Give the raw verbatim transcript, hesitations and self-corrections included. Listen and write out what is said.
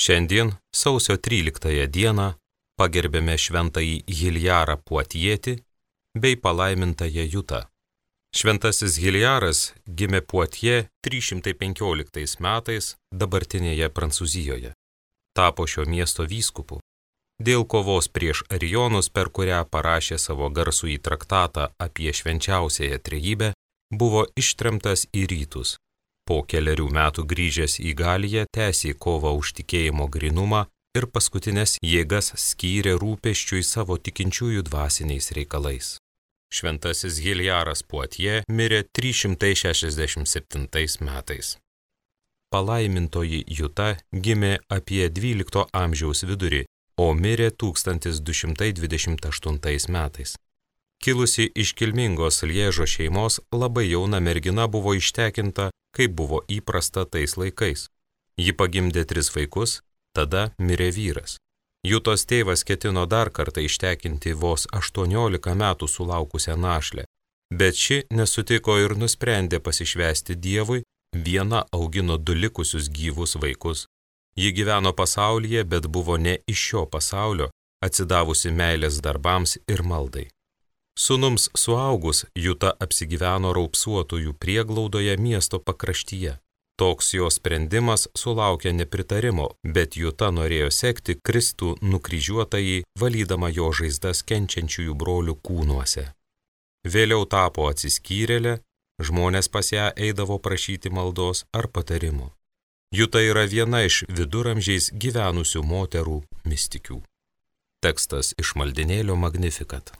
Šiandien, sausio tryliktąją dieną, pagerbėme šventąjį Hiljarą Puatietį bei palaimintąją Jutą. Šventasis Hiljaras gimė Puatie trys šimtai penkioliktais metais dabartinėje Prancūzijoje. Tapo šio miesto vyskupu. Dėl kovos prieš arijonus, per kurią parašė savo garsųjį traktatą apie švenčiausiąją trejybę, buvo ištremtas į rytus. Po keliarių metų grįžęs į Galiją tęsė kovą už tikėjimo grynumą ir paskutinės jėgas skyrė rūpesčiui savo tikinčiųjų dvasiniais reikalais. Šventasis Hiljaras Puatie mirė trys šimtai šešiasdešimt septintais metais. Palaimintoji Juta gimė apie dvylikto amžiaus vidurį, o mirė tūkstantis du šimtai dvidešimt aštuntais metais. Kilusi iš kilmingos Liežo šeimos, labai jauna mergina buvo ištekinta, kaip buvo įprasta tais laikais. Ji pagimdė tris vaikus, tada mirė vyras. Jutos tėvas ketino dar kartą ištekinti vos aštuoniolika metų sulaukusią našlę, bet ši nesutiko ir nusprendė pasišvęsti Dievui, viena augino du likusius gyvus vaikus. Ji gyveno pasaulyje, bet buvo ne iš šio pasaulio, atsidavusi meilės darbams ir maldai. Sūnums suaugus, Juta apsigyveno raupsuotųjų prieglaudoje miesto pakraštyje. Toks jo sprendimas sulaukė nepritarimo, bet Juta norėjo sekti Kristų nukryžiuotąjį, valydama jo žaizdas kenčiančiųjų brolių kūnuose. Vėliau tapo atsiskyrėlė, žmonės pas ją eidavo prašyti maldos ar patarimo. Juta yra viena iš viduramžiais gyvenusių moterų mistikių. Tekstas iš maldinėlio Magnificat.